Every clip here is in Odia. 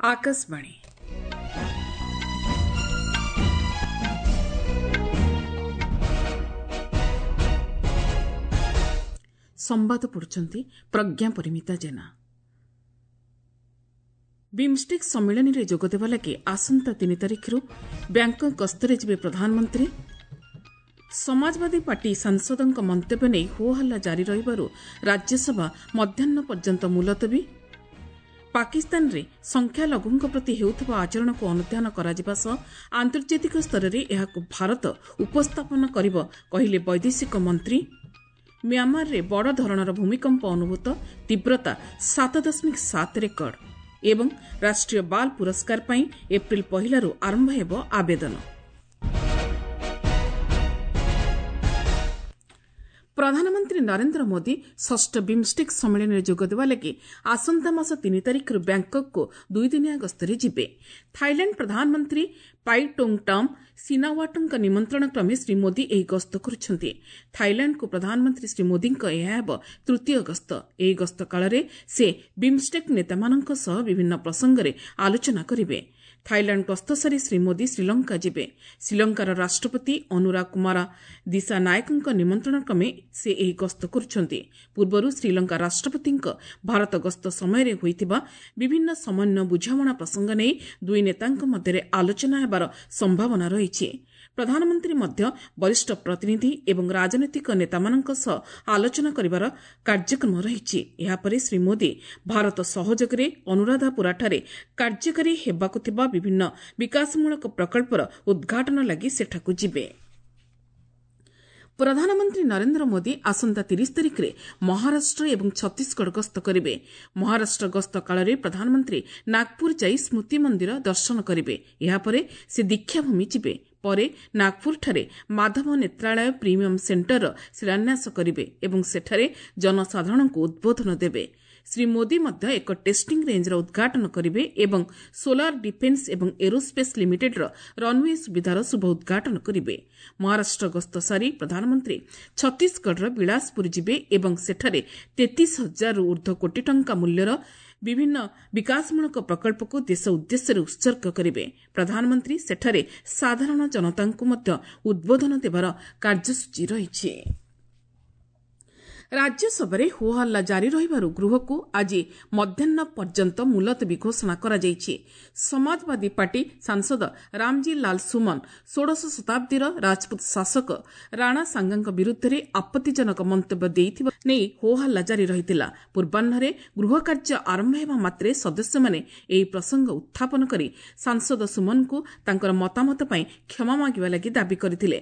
ଆକାଶବାଣୀ। ସମ୍ବାଦ ପଢୁଛନ୍ତି ପ୍ରଜ୍ଞା ପରିମିତା ଜେନା। ବିମ୍ଷ୍ଟେକ୍ ସମ୍ମିଳନୀରେ ଯୋଗଦେବା ଲାଗି ଆସନ୍ତା 3 ତାରିଖରୁ ବ୍ୟାଙ୍କକ୍ ଗସ୍ତରେ ଯିବେ ପ୍ରଧାନମନ୍ତ୍ରୀ। ସମାଜବାଦୀ ପାର୍ଟି ସାଂସଦଙ୍କ ମନ୍ତବ୍ୟ ନେଇ ହୋହଲ୍ଲା ଜାରି ରହିବାରୁ ରାଜ୍ୟସଭା ମଧ୍ୟାହ୍ନ ପର୍ଯ୍ୟନ୍ତ ମୁଲତବୀ। ପାକିସ୍ତାନରେ ସଂଖ୍ୟାଲଘୁଙ୍କ ପ୍ରତି ହେଉଥିବା ଆଚରଣକୁ ଅନୁଧ୍ୟାନ କରାଯିବା ସହ ଆନ୍ତର୍ଜାତିକ ସ୍ତରରେ ଏହାକୁ ଭାରତ ଉପସ୍ଥାପନ କରିବ, କହିଲେ ବୈଦେଶିକ ମନ୍ତ୍ରୀ। ମ୍ୟାଁମାରରେ ବଡ଼ ଧରଣର ଭୂମିକମ୍ପ ଅନୁଭୂତ, ତୀବ୍ରତା 7.7 ରେକର୍ଡ। ଏବଂ ରାଷ୍ଟ୍ରୀୟ ବାଲ୍ ପୁରସ୍କାର ପାଇଁ ଏପ୍ରିଲ 1ରୁ ଆରମ୍ଭ ହେବ ଆବେଦନ। ପ୍ରଧାନମନ୍ତ୍ରୀ ନରେନ୍ଦ୍ର ମୋଦି ଷଷ୍ଠ ବିମ୍ଷ୍ଟେକ୍ ସମ୍ମିଳନୀରେ ଯୋଗଦେବା ଲାଗି ଆସନ୍ତା ମାସ 3 ତାରିଖରୁ ବ୍ୟାଙ୍କକ୍କୁ ଦୁଇଦିନିଆ ଗସ୍ତରେ ଯିବେ। ଥାଇଲାଣ୍ଡ ପ୍ରଧାନମନ୍ତ୍ରୀ ପାଇଟୋଙ୍ଗଟାମ୍ ସିନାୱାଟଙ୍କ ନିମନ୍ତ୍ରଣ କ୍ରମେ ଶ୍ରୀ ମୋଦି ଏହି ଗସ୍ତ କରୁଛନ୍ତି। ଥାଇଲାଣ୍ଡକୁ ପ୍ରଧାନମନ୍ତ୍ରୀ ଶ୍ରୀ ମୋଦିଙ୍କ ଏହା ହେବ ତୃତୀୟ ଗସ୍ତ। ଏହି ଗସ୍ତ କାଳରେ ସେ ବିମ୍ଷ୍ଟେକ୍ ନେତାମାନଙ୍କ ସହ ବିଭିନ୍ନ ପ୍ରସଙ୍ଗରେ ଆଲୋଚନା କରିବେ। ଥାଇଲାଣ୍ଡ ଗସ୍ତ ସାରି ଶ୍ରୀ ମୋଦି ଶ୍ରୀଲଙ୍କା ଯିବେ। ଶ୍ରୀଲଙ୍କାର ରାଷ୍ଟ୍ରପତି ଅନୁରା କୁମାରା ଦିଶା ନାୟକଙ୍କ ନିମନ୍ତ୍ରଣ କ୍ରମେ ସେ ଏହି ଗସ୍ତ କରୁଛନ୍ତି। ପୂର୍ବରୁ ଶ୍ରୀଲଙ୍କା ରାଷ୍ଟ୍ରପତିଙ୍କ ଭାରତ ଗସ୍ତ ସମୟରେ ହୋଇଥିବା ବିଭିନ୍ନ ସମନ୍ୱୟ ବୁଝାମଣା ପ୍ରସଙ୍ଗ ନେଇ ଦୁଇ ନେତାଙ୍କ ମଧ୍ୟରେ ଆଲୋଚନା ହେବାର ସମ୍ଭାବନା ରହିଛି। ପ୍ରଧାନମନ୍ତ୍ରୀ ମଧ୍ୟ ବରିଷ୍ଠ ପ୍ରତିନିଧି ଏବଂ ରାଜନୈତିକ ନେତାମାନଙ୍କ ସହ ଆଲୋଚନା କରିବାର କାର୍ଯ୍ୟକ୍ରମ ରହିଛି। ଏହାପରେ ଶ୍ରୀ ମୋଦି ଭାରତ ସହଯୋଗରେ ଅନୁରାଧାପୁରାଠାରେ କାର୍ଯ୍ୟକାରୀ ହେବାକୁ ଥିବା ବିଭିନ୍ନ ବିକାଶମୂଳକ ପ୍ରକଳ୍ପର ଉଦ୍ଘାଟନ ଲାଗି ସେଠାକୁ ଯିବେ। ପ୍ରଧାନମନ୍ତ୍ରୀ ନରେନ୍ଦ୍ର ମୋଦି ଆସନ୍ତା 30 ତାରିଖରେ ମହାରାଷ୍ଟ୍ର ଏବଂ ଛତିଶଗଡ଼ ଗସ୍ତ କରିବେ। ମହାରାଷ୍ଟ୍ର ଗସ୍ତ କାଳରେ ପ୍ରଧାନମନ୍ତ୍ରୀ ନାଗପୁର ଯାଇ ସ୍ମୃତି ମନ୍ଦିର ଦର୍ଶନ କରିବେ। ଏହାପରେ ସେ ଦୀକ୍ଷାଭୂମି ଯିବେ। ପରେ ନାଗପୁରଠାରେ ମାଧବ ନେତ୍ରାଳୟ ପ୍ରିମିୟମ୍ ସେଣ୍ଟରର ଶିଳାନ୍ୟାସ କରିବେ ଏବଂ ସେଠାରେ ଜନସାଧାରଣଙ୍କୁ ଉଦ୍ବୋଧନ ଦେବେ। ଶ୍ରୀ ମୋଦି ମଧ୍ୟ ଏକ ଟେଷ୍ଟିଂ ରେଞ୍ଜର ଉଦ୍ଘାଟନ କରିବେ ଏବଂ ସୋଲାର ଡିଫେନ୍ସ ଏବଂ ଏରୋସ୍ପେସ୍ ଲିମିଟେଡ୍ର ରନ୍ୱେ ସୁବିଧାର ଶୁଭ ଉଦ୍ଘାଟନ କରିବେ। ମହାରାଷ୍ଟ୍ର ଗସ୍ତ ସାରି ପ୍ରଧାନମନ୍ତ୍ରୀ ଛତିଶଗଡ଼ର ବିଳାସପୁର ଯିବେ ଏବଂ ସେଠାରେ 33 ହଜାରରୁ ଊର୍ଦ୍ଧ୍ୱ କୋଟି ଟଙ୍କା ମୂଲ୍ୟର ବିଭିନ୍ନ ବିକାଶମୂଳକ ପ୍ରକଳ୍ପକୁ ଦେଶ ଉଦ୍ଦେଶ୍ୟରେ ଉତ୍ସର୍ଗ କରିବେ। ପ୍ରଧାନମନ୍ତ୍ରୀ ସେଠାରେ ସାଧାରଣ ଜନତାଙ୍କୁ ମଧ୍ୟ ଉଦ୍ବୋଧନ ଦେବାର କାର୍ଯ୍ୟସୂଚୀ ରହିଛି। ରାଜ୍ୟସଭାରେ ହୋହଲ୍ଲା ଜାରି ରହିବାରୁ ଗୃହକୁ ଆଜି ମଧ୍ୟାହ୍ନ ପର୍ଯ୍ୟନ୍ତ ମୁଲତବୀ ଘୋଷଣା କରାଯାଇଛି। ସମାଜବାଦୀ ପାର୍ଟି ସାଂସଦ ରାମଜୀ ଲାଲ ସୁମନ ଷୋଡ଼ଶ ଶତାବ୍ଦୀର ରାଜପୁତ ଶାସକ ରାଣା ସାଙ୍ଗାଙ୍କ ବିରୁଦ୍ଧରେ ଆପତ୍ତିଜନକ ମନ୍ତବ୍ୟ ଦେଇଥିବା ନେଇ ହୋହଲ୍ଲା ଜାରି ରହିଥିଲା। ପୂର୍ବାହ୍ନରେ ଗୃହ କାର୍ଯ୍ୟ ଆରମ୍ଭ ହେବା ମାତ୍ରେ ସଦସ୍ୟମାନେ ଏହି ପ୍ରସଙ୍ଗ ଉତ୍ଥାପନ କରି ସାଂସଦ ସୁମନଙ୍କୁ ତାଙ୍କର ମତାମତ ପାଇଁ କ୍ଷମା ମାଗିବା ଲାଗି ଦାବି କରିଥିଲେ।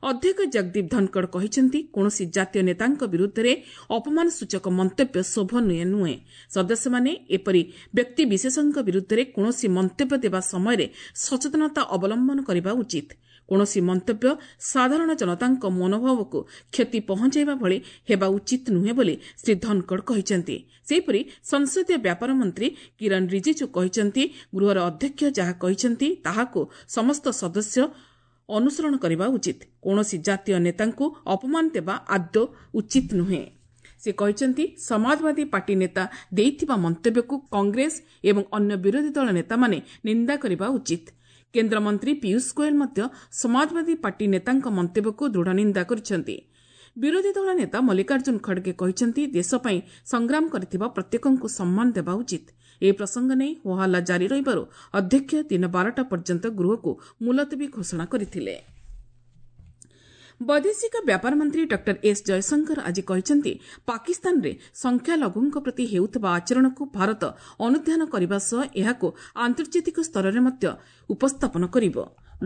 ଅଧ୍ୟକ୍ଷ ଜଗଦୀପ ଧନକଡ଼ କହିଛନ୍ତି, କୌଣସି ଜାତୀୟ ନେତାଙ୍କ ବିରୁଦ୍ଧରେ ଅପମାନସୂଚକ ମନ୍ତବ୍ୟ ଶୋଭନୀୟ ନୁହେଁ। ସଦସ୍ୟମାନେ ଏପରି ବ୍ୟକ୍ତିବିଶେଷଙ୍କ ବିରୁଦ୍ଧରେ କୌଣସି ମନ୍ତବ୍ୟ ଦେବା ସମୟରେ ସଚେତନତା ଅବଲମ୍ବନ କରିବା ଉଚିତ। କୌଣସି ମନ୍ତବ୍ୟ ସାଧାରଣ ଜନତାଙ୍କ ମନୋଭାବକୁ କ୍ଷତି ପହଞ୍ଚାଇବା ଭଳି ହେବା ଉଚିତ ନୁହେଁ ବୋଲି ଶ୍ରୀ ଧନକଡ଼ କହିଛନ୍ତି। ସେହିପରି ସଂସଦୀୟ ବ୍ୟାପାର ମନ୍ତ୍ରୀ କିରଣ ରିଜିଜୁ କହିଛନ୍ତି, ଗୃହର ଅଧ୍ୟକ୍ଷ ଯାହା କହିଛନ୍ତି ତାହାକୁ ସମସ୍ତ ସଦସ୍ୟ ଅନୁସରଣ କରିବା ଉଚିତ। କୌଣସି ଜାତୀୟ ନେତାଙ୍କୁ ଅପମାନ ଦେବା ଆଦୌ ଉଚିତ ନୁହେଁ। ସେ କହିଛନ୍ତି, ସମାଜବାଦୀ ପାର୍ଟି ନେତା ଦେଇଥିବା ମନ୍ତବ୍ୟକୁ କଂଗ୍ରେସ ଏବଂ ଅନ୍ୟ ବିରୋଧୀ ଦଳ ନେତାମାନେ ନିନ୍ଦା କରିବା ଉଚିତ। କେନ୍ଦ୍ରମନ୍ତ୍ରୀ ପୀୟୁଷ ଗୋଏଲ ମଧ୍ୟ ସମାଜବାଦୀ ପାର୍ଟି ନେତାଙ୍କ ମନ୍ତବ୍ୟକୁ ଦୃଢ଼ ନିନ୍ଦା କରିଛନ୍ତି। ବିରୋଧୀ ଦଳ ନେତା ମଲ୍ଲିକାର୍ଜୁନ ଖଡ଼ଗେ କହିଛନ୍ତି, ଦେଶ ପାଇଁ ସଂଗ୍ରାମ କରିଥିବା ପ୍ରତ୍ୟେକଙ୍କୁ ସମ୍ମାନ ଦେବା ଉଚିତ। ଏହି ପ୍ରସଙ୍ଗ ନେଇ ହୋହାଲ୍ଲା ଜାରି ରହିବାରୁ ଅଧ୍ୟକ୍ଷ ଦିନ 12ଟା ପର୍ଯ୍ୟନ୍ତ ଗୃହକୁ ମୁଲତବୀ ଘୋଷଣା କରିଥିଲେ। ବୈଦେଶିକ ବ୍ୟାପାର ମନ୍ତ୍ରୀ ଡକ୍ଟର ଏସ୍ ଜୟଶଙ୍କର ଆଜି କହିଛନ୍ତି, ପାକିସ୍ତାନରେ ସଂଖ୍ୟାଲଘୁଙ୍କ ପ୍ରତି ହେଉଥିବା ଆଚରଣକୁ ଭାରତ ଅନୁଧ୍ୟାନ କରିବା ସହ ଏହାକୁ ଆନ୍ତର୍ଜାତିକ ସ୍ତରରେ ମଧ୍ୟ ଉପସ୍ଥାପନ କରିବ।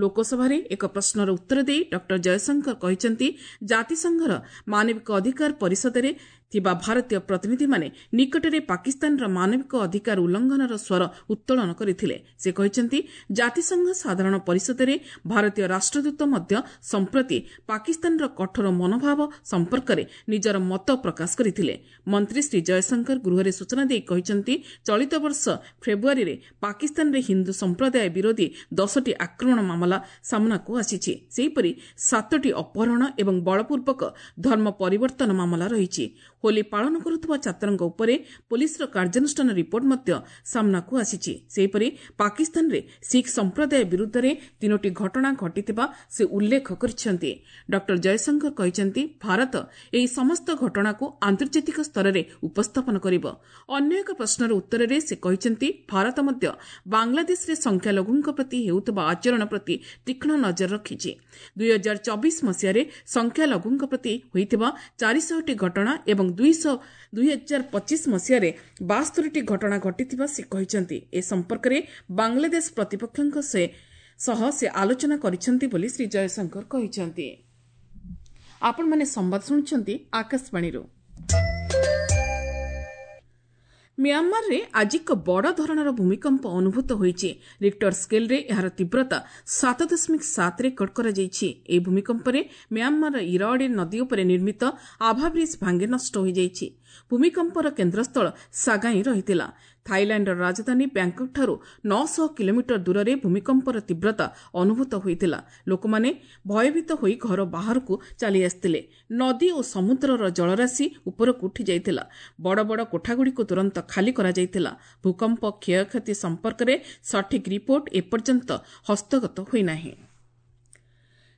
ଲୋକସଭାରେ ଏକ ପ୍ରଶ୍ନର ଉତ୍ତର ଦେଇ ଡକ୍ଟର ଜୟଶଙ୍କର କହିଛନ୍ତି, ଜାତିସଂଘର ମାନବିକ ଅଧିକାର ପରିଷଦରେ ଥିବା ଭାରତୀୟ ପ୍ରତିନିଧିମାନେ ନିକଟରେ ପାକିସ୍ତାନର ମାନବିକ ଅଧିକାର ଉଲ୍ଲଂଘନର ସ୍ୱର ଉତ୍ତୋଳନ କରିଥିଲେ। ସେ କହିଛନ୍ତି, ଜାତିସଂଘ ସାଧାରଣ ପରିଷଦରେ ଭାରତୀୟ ରାଷ୍ଟ୍ରଦୂତ ମଧ୍ୟ ସମ୍ପ୍ରତି ପାକିସ୍ତାନର କଠୋର ମନୋଭାବ ସମ୍ପର୍କରେ ନିଜର ମତ ପ୍ରକାଶ କରିଥିଲେ। ମନ୍ତ୍ରୀ ଶ୍ରୀ ଜୟଶଙ୍କର ଗୃହରେ ସୂଚନା ଦେଇ କହିଛନ୍ତି, ଚଳିତ ବର୍ଷ ଫେବୃଆରୀରେ ପାକିସ୍ତାନରେ ହିନ୍ଦୁ ସମ୍ପ୍ରଦାୟ ବିରୋଧୀ 10ଟି ଆକ୍ରମଣ ମାମଲା ସାମ୍ନାକୁ ଆସିଛି। ସେହିପରି 7ଟି ଅପହରଣ ଏବଂ ବଳପୂର୍ବକ ଧର୍ମ ପରିବର୍ତ୍ତନ ମାମଲା ରହିଛି। ହୋଲି ପାଳନ କରୁଥିବା ଛାତ୍ରଙ୍କ ଉପରେ ପୋଲିସର କାର୍ଯ୍ୟାନୁଷ୍ଠାନ ରିପୋର୍ଟ ମଧ୍ୟ ସାମ୍ନାକୁ ଆସିଛି। ସେହିପରି ପାକିସ୍ତାନରେ ଶିଖ ସମ୍ପ୍ରଦାୟ ବିରୁଦ୍ଧରେ 3ଟି ଘଟଣା ଘଟିଥିବା ସେ ଉଲ୍ଲେଖ କରିଛନ୍ତି। ଡକ୍ଟର ଜୟଶଙ୍କର କହିଛନ୍ତି, ଭାରତ ଏହି ସମସ୍ତ ଘଟଣାକୁ ଆନ୍ତର୍ଜାତିକ ସ୍ତରରେ ଉପସ୍ଥାପନ କରିବ। ଅନ୍ୟ ଏକ ପ୍ରଶ୍ନର ଉତ୍ତରରେ ସେ କହିଛନ୍ତି, ଭାରତ ମଧ୍ୟ ବାଂଲାଦେଶରେ ସଂଖ୍ୟାଲଘୁଙ୍କ ପ୍ରତି ହେଉଥିବା ଆଚରଣ ପ୍ରତି ତୀକ୍ଷ୍ଣ ନଜର ରଖିଛି। 2024 ମସିହାରେ ସଂଖ୍ୟାଲଘୁଙ୍କ ପ୍ରତି ହୋଇଥିବା 400ଟି ଘଟଣା ଏବଂ 2025 ମସିହାରେ 72ଟି ଘଟଣା ଘଟିଥିବା ସେ କହିଛନ୍ତି। ଏ ସମ୍ପର୍କରେ ବାଂଲାଦେଶ ପ୍ରତିପକ୍ଷଙ୍କ ସହ ସେ ଆଲୋଚନା କରିଛନ୍ତି ବୋଲି ଶ୍ରୀ ଜୟଶଙ୍କର କହିଛନ୍ତି। ଆପଣମାନେ ସମ୍ବାଦ ଶୁଣୁଛନ୍ତି ଆକାଶବାଣୀରୁ। ମିଆଁମାରରେ ଆଜି ଏକ ବଡ଼ ଧରଣର ଭୂମିକମ୍ପ ଅନୁଭୂତ ହୋଇଛି। ରିକ୍ଟର ସ୍କେଲ୍ରେ ଏହାର ତୀବ୍ରତା 7.7 ରେକର୍ଡ କରାଯାଇଛି। ଏହି ଭୂମିକମ୍ପରେ ମିଆଁମାରର ଇରାୱାଡି ନଦୀ ଉପରେ ନିର୍ମିତ ଆଭା ବ୍ରିଜ୍ ଭାଙ୍ଗି ନଷ୍ଟ ହୋଇଯାଇଛି। ଭୂମିକମ୍ପର କେନ୍ଦ୍ରସ୍ଥଳ ସାଗାଇ ରହିଥିଲା। ଥାଇଲାଣ୍ଡର ରାଜଧାନୀ ବ୍ୟାଙ୍କକ୍ଠାରୁ 900 କିଲୋମିଟର ଦୂରରେ ଭୂମିକମ୍ପର ତୀବ୍ରତା ଅନୁଭୂତ ହୋଇଥିଲା। ଲୋକମାନେ ଭୟଭୀତ ହୋଇ ଘର ବାହାରକୁ ଚାଲି ଆସିଥିଲେ। ନଦୀ ଓ ସମୁଦ୍ରର ଜଳରାଶି ଉପରକୁ ଉଠିଯାଇଥିଲା। ବଡ଼ ବଡ଼ କୋଠାଗୁଡ଼ିକୁ ତୁରନ୍ତ ଖାଲି କରାଯାଇଥିଲା। ଭୂକମ୍ପ କ୍ଷୟକ୍ଷତି ସମ୍ପର୍କରେ ସଠିକ୍ ରିପୋର୍ଟ ଏପର୍ଯ୍ୟନ୍ତ ହସ୍ତଗତ ହୋଇନାହିଁ।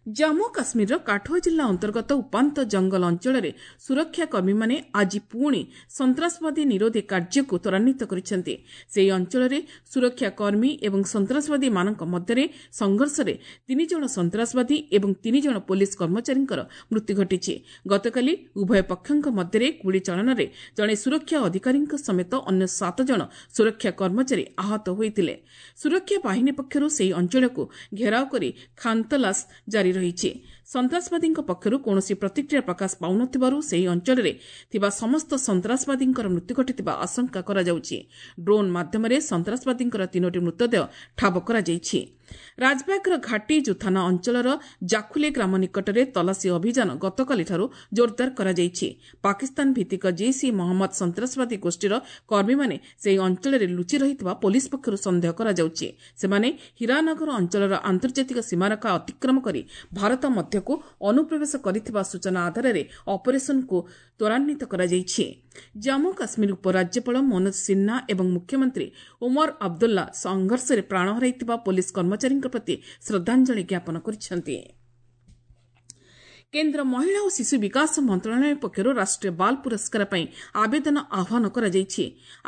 ଜାମ୍ମୁ କାଶ୍ମୀରର କାଠୁଆ ଜିଲ୍ଲା ଅନ୍ତର୍ଗତ ଉପାନ୍ତ ଜଙ୍ଗଲ ଅଞ୍ଚଳରେ ସୁରକ୍ଷା କର୍ମୀମାନେ ଆଜି ପୁଣି ସନ୍ତାସବାଦୀ ନିରୋଧୀ କାର୍ଯ୍ୟକୁ ତ୍ୱରାନ୍ୱିତ କରିଛନ୍ତି। ସେହି ଅଞ୍ଚଳରେ ସୁରକ୍ଷା କର୍ମୀ ଏବଂ ସନ୍ତାସବାଦୀମାନଙ୍କ ମଧ୍ୟରେ ସଂଘର୍ଷରେ 3 ଜଣ ସନ୍ତାସବାଦୀ ଏବଂ 3 ଜଣ ପୋଲିସ କର୍ମଚାରୀଙ୍କର ମୃତ୍ୟୁ ଘଟିଛି। ଗତକାଲି ଉଭୟ ପକ୍ଷଙ୍କ ମଧ୍ୟରେ ଗୁଳି ଚାଳନାରେ ଜଣେ ସୁରକ୍ଷା ଅଧିକାରୀଙ୍କ ସମେତ ଅନ୍ୟ 7 ଜଣ ସୁରକ୍ଷା କର୍ମଚାରୀ ଆହତ ହୋଇଥିଲେ। ସୁରକ୍ଷା ବାହିନୀ ପକ୍ଷରୁ ସେହି ଅଞ୍ଚଳକୁ ଘେରାଉ କରି ଖାନତଲାସ ଜାରି ରହିଛି। ସନ୍ତାସବାଦୀଙ୍କ ପକ୍ଷରୁ କୌଣସି ପ୍ରତିକ୍ରିୟା ପ୍ରକାଶ ପାଉନଥିବାରୁ ସେହି ଅଞ୍ଚଳରେ ଥିବା ସମସ୍ତ ସନ୍ତାସବାଦୀଙ୍କର ମୃତ୍ୟୁ ଘଟିଥିବା ଆଶଙ୍କା କରାଯାଉଛି। ଡ୍ରୋନ୍ ମାଧ୍ୟମରେ ସନ୍ତାସବାଦୀଙ୍କର 3ଟି ମୃତଦେହ ଠାବ କରାଯାଇଛି। ରାଜବାଗର ଘାଟି ଜୁଥାନା ଅଞ୍ଚଳର ଜାଖୁଲେ ଗ୍ରାମ ନିକଟରେ ତଲାସୀ ଅଭିଯାନ ଗତକାଲିଠାରୁ ଜୋରଦାର କରାଯାଇଛି। ପାକିସ୍ତାନ ଭିତ୍ତିକ ଜୈଶ ଇ ମହମ୍ମଦ ସନ୍ତାସବାଦୀ ଗୋଷ୍ଠୀର କର୍ମୀମାନେ ସେହି ଅଞ୍ଚଳରେ ଲୁଚି ରହିଥିବା ପୋଲିସ ପକ୍ଷରୁ ସନ୍ଦେହ କରାଯାଉଛି। ସେମାନେ ହୀରାନଗର ଅଞ୍ଚଳର ଆନ୍ତର୍ଜାତିକ ସୀମାରେଖା ଅତିକ୍ରମ କରି ଭାରତ ମଧ୍ୟକୁ ଅନୁପ୍ରବେଶ କରିଥିବା ସୂଚନା ଆଧାରରେ ଅପରେସନକୁ ତ୍ୱରାନ୍ୱିତ କରାଯାଇଛି। ଜାମ୍ମୁ କାଶ୍ମୀର ଉପରାଜ୍ୟପାଳ ମନୋଜ ସିହ୍ନା ଏବଂ ମୁଖ୍ୟମନ୍ତ୍ରୀ ଓମର ଅବଦୁଲ୍ଲା ସଂଘର୍ଷରେ ପ୍ରାଣ ହରାଇଥିବା ପୋଲିସ କର୍ମଚାରୀଙ୍କ ପ୍ରତି ଶ୍ରଦ୍ଧାଞ୍ଜଳି ଜ୍ଞାପନ କରିଛନ୍ତି। କେନ୍ଦ୍ର ମହିଳା ଓ ଶିଶୁ ବିକାଶ ମନ୍ତ୍ରଣାଳୟ ପକ୍ଷରୁ ରାଷ୍ଟ୍ରୀୟ ବାଲ ପୁରସ୍କାର ପାଇଁ ଆବେଦନ ଆହ୍ୱାନ କରାଯାଇଛି।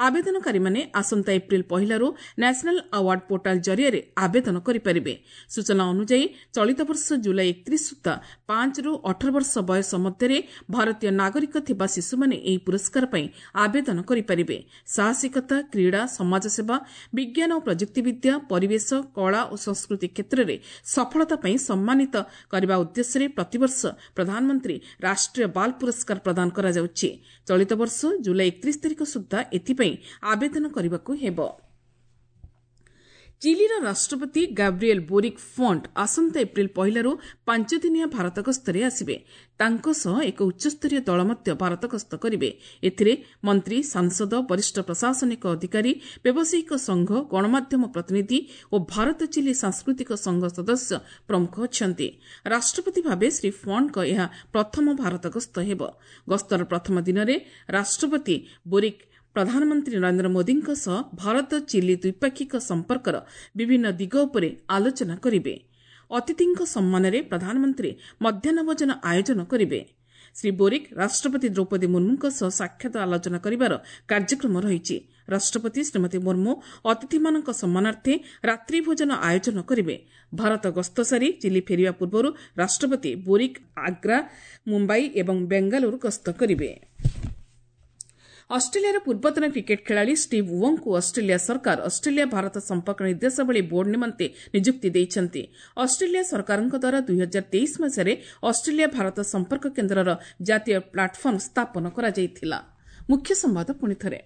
ଆବେଦନକାରୀମାନେ ଆସନ୍ତା ଏପ୍ରିଲ 1ରୁ ନ୍ୟାସନାଲ ଆୱାର୍ଡ ପୋର୍ଟାଲ ଜରିଆରେ ଆବେଦନ କରିପାରିବେ। ସୂଚନା ଅନୁଯାୟୀ ଚଳିତ ବର୍ଷ ଜୁଲାଇ 31 ସୁଦ୍ଧା 5ରୁ 18 ବର୍ଷ ବୟସ ମଧ୍ୟରେ ଭାରତୀୟ ନାଗରିକ ଥିବା ଶିଶୁମାନେ ଏହି ପୁରସ୍କାର ପାଇଁ ଆବେଦନ କରିପାରିବେ। ସାହସିକତା, କ୍ରୀଡ଼ା, ସମାଜସେବା, ବିଜ୍ଞାନ ଓ ପ୍ରଯୁକ୍ତିବିଦ୍ୟା, ପରିବେଶ, କଳା ଓ ସଂସ୍କୃତି କ୍ଷେତ୍ରରେ ସଫଳତା ପାଇଁ ସମ୍ମାନିତ କରିବା ଉଦ୍ଦେଶ୍ୟରେ ପ୍ରତିବର୍ଷ ପ୍ରଧାନମନ୍ତ୍ରୀ ରାଷ୍ଟ୍ରୀୟ ବାଲ ପୁରସ୍କାର ପ୍ରଦାନ କରାଯାଉଛି। ଚଳିତ ବର୍ଷ ଜୁଲାଇ 31 ତାରିଖ ସୁଦ୍ଧା ଏଥିପାଇଁ ଆବେଦନ କରିବାକୁ ହେବ। ଚିଲିର ରାଷ୍ଟ୍ରପତି ଗାବ୍ରିଏଲ୍ ବୋରିକ୍ ଫଣ୍ଟ ଆସନ୍ତା ଏପ୍ରିଲ 1ରୁ 5 ଦିନିଆ ଭାରତ ଗସ୍ତରେ ଆସିବେ। ତାଙ୍କ ସହ ଏକ ଉଚ୍ଚସ୍ତରୀୟ ଦଳ ମଧ୍ୟ ଭାରତ ଗସ୍ତ କରିବେ। ଏଥିରେ ମନ୍ତ୍ରୀ, ସାଂସଦ, ବରିଷ୍ଠ ପ୍ରଶାସନିକ ଅଧିକାରୀ, ବ୍ୟବସାୟିକ ସଂଘ, ଗଣମାଧ୍ୟମ ପ୍ରତିନିଧି ଓ ଭାରତ ଚିଲି ସାଂସ୍କୃତିକ ସଂଘ ସଦସ୍ୟ ପ୍ରମୁଖ ଅଛନ୍ତି। ରାଷ୍ଟ୍ରପତି ଭାବେ ଶ୍ରୀ ଫଣ୍ଟଙ୍କ ଏହା ପ୍ରଥମ ଭାରତ ଗସ୍ତ ହେବ। ଗସ୍ତର ପ୍ରଥମ ଦିନରେ ରାଷ୍ଟ୍ରପତି ବୋରିକ୍ ପ୍ରଧାନମନ୍ତ୍ରୀ ନରେନ୍ଦ୍ର ମୋଦିଙ୍କ ସହ ଭାରତ ଚିଲି ଦ୍ୱିପାକ୍ଷିକ ସମ୍ପର୍କର ବିଭିନ୍ନ ଦିଗ ଉପରେ ଆଲୋଚନା କରିବେ। ଅତିଥିଙ୍କ ସମ୍ମାନରେ ପ୍ରଧାନମନ୍ତ୍ରୀ ମଧ୍ୟାହ୍ନ ଭୋଜନ ଆୟୋଜନ କରିବେ। ଶ୍ରୀ ବୋରିକ୍ ରାଷ୍ଟ୍ରପତି ଦ୍ରୌପଦୀ ମୁର୍ମୁଙ୍କ ସହ ସାକ୍ଷାତ ଆଲୋଚନା କରିବାର କାର୍ଯ୍ୟକ୍ରମ ରହିଛି। ରାଷ୍ଟ୍ରପତି ଶ୍ରୀମତୀ ମୁର୍ମୁ ଅତିଥିମାନଙ୍କ ସମ୍ମାନାର୍ଥେ ରାତ୍ରି ଭୋଜନ ଆୟୋଜନ କରିବେ। ଭାରତ ଗସ୍ତ ସାରି ଚିଲି ଫେରିବା ପୂର୍ବରୁ ରାଷ୍ଟ୍ରପତି ବୋରିକ୍ ଆଗ୍ରା, ମୁମ୍ବାଇ ଏବଂ ବେଙ୍ଗାଲୁରୁ ଗସ୍ତ କରିବେ। ଅଷ୍ଟ୍ରେଲିଆର ପୂର୍ବତନ କ୍ରିକେଟ୍ ଖେଳାଳି ଷ୍ଟିଭ୍ ୱଙ୍କୁ ଅଷ୍ଟ୍ରେଲିଆ ସରକାର ଅଷ୍ଟ୍ରେଲିଆ ଭାରତ ସମ୍ପର୍କ ନିର୍ଦ୍ଦେଶାବଳୀ ବୋର୍ଡ ନିମନ୍ତେ ନିଯୁକ୍ତି ଦେଇଛନ୍ତି। ଅଷ୍ଟ୍ରେଲିଆ ସରକାରଙ୍କ ଦ୍ୱାରା 2023 ମସିହାରେ ଅଷ୍ଟ୍ରେଲିଆ ଭାରତ ସମ୍ପର୍କ କେନ୍ଦ୍ରର ଜାତୀୟ ପ୍ଲାଟଫର୍ମ ସ୍ଥାପନ କରାଯାଇଥିଲା। ମୁଖ୍ୟ ସମ୍ବାଦ ପୁଣି ଥରେ।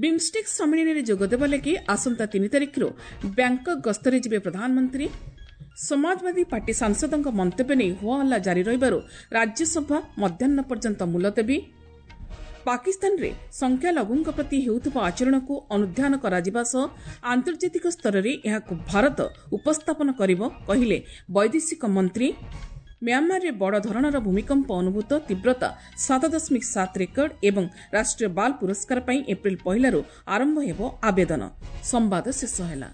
ବିମ୍ଷ୍ଟେକ୍ ସମ୍ମିଳନୀରେ ଯୋଗଦେବା ଲାଗି ଆସନ୍ତା 3 ତାରିଖରୁ ବ୍ୟାଙ୍କକ୍ ଗସ୍ତରେ ଯିବେ ପ୍ରଧାନମନ୍ତ୍ରୀ। ସମାଜବାଦୀ ପାର୍ଟି ସାଂସଦଙ୍କ ମନ୍ତବ୍ୟ ନେଇ ହୋହାଲ୍ଲା ଜାରି ରହିବାରୁ ରାଜ୍ୟସଭା ମଧ୍ୟାହ୍ନ ପର୍ଯ୍ୟନ୍ତ ମୁଲତବୀ। ପାକିସ୍ତାନରେ ସଂଖ୍ୟାଲଘୁଙ୍କ ପ୍ରତି ହେଉଥିବା ଆଚରଣକୁ ଅନୁଧ୍ୟାନ କରାଯିବା ସହ ଆନ୍ତର୍ଜାତିକ ସ୍ତରରେ ଏହାକୁ ଭାରତ ଉପସ୍ଥାପନ କରିବ, କହିଲେ ବୈଦେଶିକ ମନ୍ତ୍ରୀ। ମ୍ୟାଁମାରରେ ବଡ଼ ଧରଣର ଭୂମିକମ୍ପ ଅନୁଭୂତ, ତୀବ୍ରତା 7.7 ରେକର୍ଡ। ଏବଂ ରାଷ୍ଟ୍ରୀୟ ବାଲ ପୁରସ୍କାର ପାଇଁ ଏପ୍ରିଲ 1ରୁ ଆରମ୍ଭ ହେବ ଆବେଦନ। ସମ୍ବାଦ ଶେଷ ହେଲା।